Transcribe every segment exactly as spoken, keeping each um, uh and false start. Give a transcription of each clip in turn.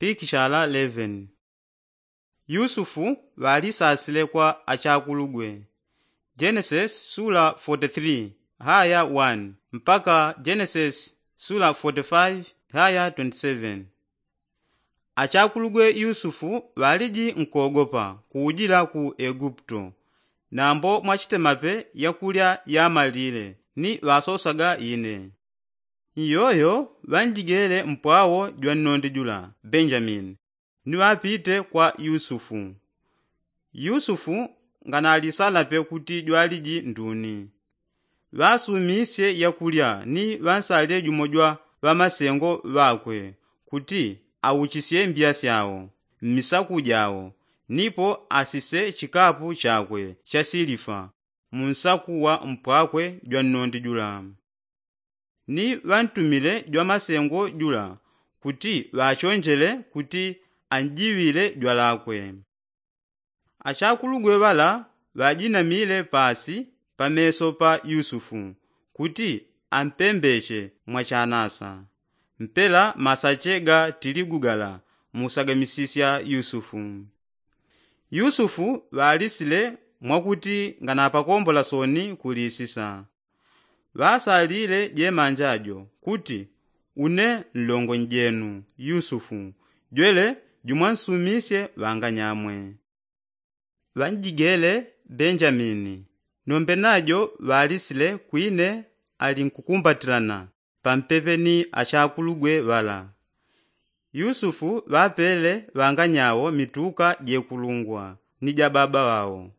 pikishala eleven. Yusufu ŵalisasile kwa achakulugwe. Genesis sula forty-three haya one mpaka genesis sula forty-five haya twenty-seven. Achakulugwe yusufu ŵaliji nkogopa kuujila ku eguputo, nambo mwachitemape yakulya yamalile ni ŵasosaga ine. Iyoyo ŵanjigele mpwawo jwa nnondi jula benjamini, ni ŵapite kwa yusufu. Yusufu nganalisanape kuti jwaliji nduni. Ŵasumisye yakulya ni ŵansalile jumo jwa ŵamasengo ŵakwe kuti auchisye mbya syao mmisaku jao, nipo asise chikapu chakwe cha silifa munsaku wa mpwakwe jwa nnondi jula. Ni ŵantumile jwa masengo jula kuti ŵachonjele kuti anjiŵile jwalakwe. Achakulugwe ŵala ŵajinamile pasi pameso pa yusufu kuti ampembeche mwachanasa. Mpela masache ga tiligu gala musagamisisya yusufu. Yusufu ŵalisile mwakuti nganapakombola soni kulisisa. Ŵasalile jemanja jo kuti, une nlongo njenu yusufu, jwele jumwansumisye ŵanganyamwe. Ŵanjigele benjamini, nombe najo ŵalisile kwine alinkukumbatilana pampepe ni achakulugwe ŵala. Yusufu ŵapele ŵanganyao mituka jekulungwa ni ja baba ŵao,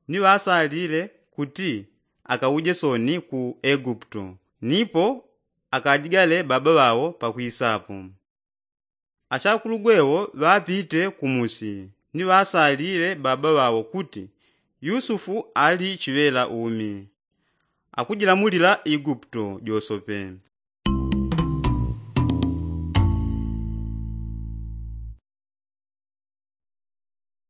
ni ŵasalile kuti akauje soni ku eguputo, nipo akajigale baba ŵao pakwisapo. Achakulugwe wo ŵapite kumusi ni ŵasalile baba ŵao kuti, yusufu ali chiŵela umi, akujilamulila eguputo josope.